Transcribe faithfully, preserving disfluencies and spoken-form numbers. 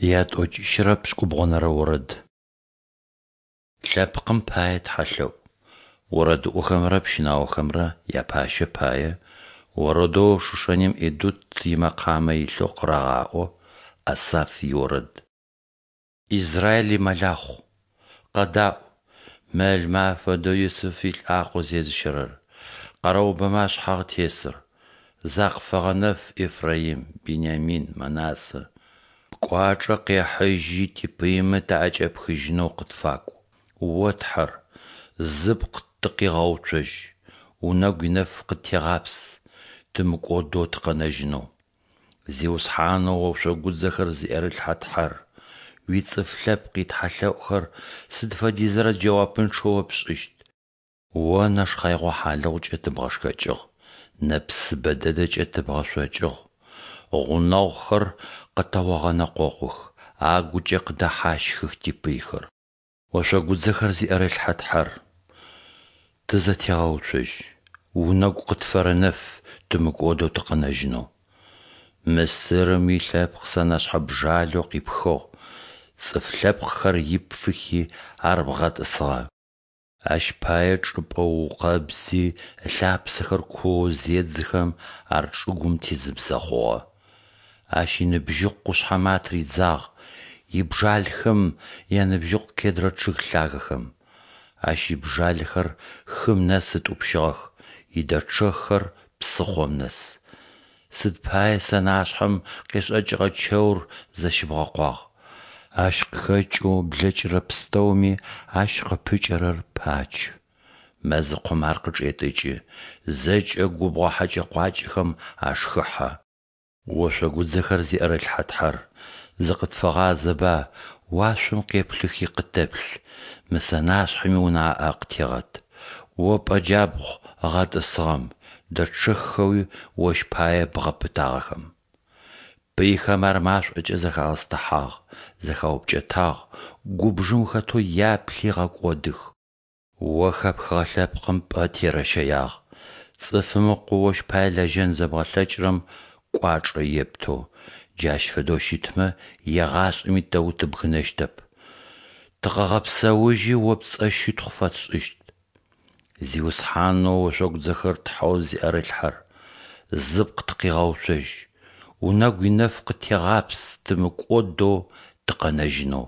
Ятӏокӏищырэ пшӏыкӏубгъонэрэ орэд. Лъэпкъым пае тхьэлъэӏу. Орэдыӏохэмрэ пщынаохэмрэ япащэ пае. Орэдэу Шушаним Идут имэкъамэ илъэу къырагъаӏо. Асаф иорэд. Израиль имэлахъу, къэдаӏу, мэлмэ афэдэу Юсыф илӏакъо зезыщэрэр, къэрэубэмэ ашъхьагъ тесыр! Закъыфэгъэнэф Ефраим, Бинямин, Манассэ. Пкӏуачӏэ къехьыжьи типыймэ таӏэкӏэпхыжьынэу къытфакӏу. О Тхьэр, зыпкъ тыкъигъэуцожь, Унэгу инэф къыттегъапс, тымыкӏодэу тыкъэнэжьынэу. Зиусхьанэу ошъогудзэхэр зиӏэрылъхьэ Тхьэр, уицӏыф лъэпкъ итхьэлъэӏухэр сыд фэдизрэ джэуапынчъэ о пшӏыщт? О нэшхъэигъо хьалыгъукӏэ тыбгъэшхэкӏыгъ, нэпсыбэ дэдэкӏэ тыбгъэшъокӏыгъ. Гъунэгъухэр къытэогъэнэкъокъух, агукӏэ къыдэхьащхых типыйхэр. Ошъогудзэхэр зиӏэрылъхьэ Тхьэр, тызэтегъэуцожь, Унэгу къытфэрэнэф тымыкӏодэу тыкъэнэжьынэу. Мысырым уилъэпкъ сэнэшъхьэ бжалэу къипхыгъ, цӏыф лъэпкъхэр ипфыхи ар бгъэтӏысыгъэ. Ащ пае чӏыпӏэ ыукъэбзи ылъапсэхэр куоу зедзыхэм ар чӏыгум тизыбзэ хъугъэ. Ащ иныбжьыкъу къушъхьэмэ атыридзагъ, ибжалхэм яныбжьыкъу кедрэ чъыг лъагэхэм. Ащ ибжалэхэр хым нэс ытӏупщыгъэх, идэчъэххэр псыхъом нэс. Сыд пае сэнашъхьэм къешӏэкӏыгъэ чэур зэщыбгъэкъуагъ? Ащ къыхэкӏэу блэкӏырэ пстэуми ащ къыпыкӏэрэр пачы. Мэзыкъом ар къычӏетӏыкӏы, зэкӏэ губгъо хьэкӏэ-къуакӏэхэм ашхыхьэ. Ошъогудзэхэр зиӏэрылъхьэ Тхьэр, зыкъытфэгъазэба, уашъом къеплъыхи къытэплъ, мы сэнашъхьэми унаӏэ къытегъэт. О пӏэ джабгъу ыгъэтӏысыгъэм, дэчъэххэуи Ощ пае бгъэпытагъэхэм. Пыйхэм ар машӏокӏэ зэхагъэстыхьагъ, зэхаупкӏэтагъ, губжым хэтэу яплъи гъэкӏодых. О хэпхыгъэ лъэпкъым пӏэ терэщэягъ, цӏыфым ыкъоу ощ пае лэжьэн зэбгъэлъэкӏырэм кӏуачӏэ ептэу, джащ фэдэу щытмэ, егъашӏэми тэ утыбгынэщтэп. Тыкъэгъэпсэужьи О пцӏэ щытхъу фэтшӏыщт. Зиусхьанэу ошъогудзэхэр Тхьэу зиӏэрылъхьэр, зыпкъ тыкъигъэуцожь, Унэгу инэф къыттегъапс тымыкӏодэу тыкъэнэжьынэу.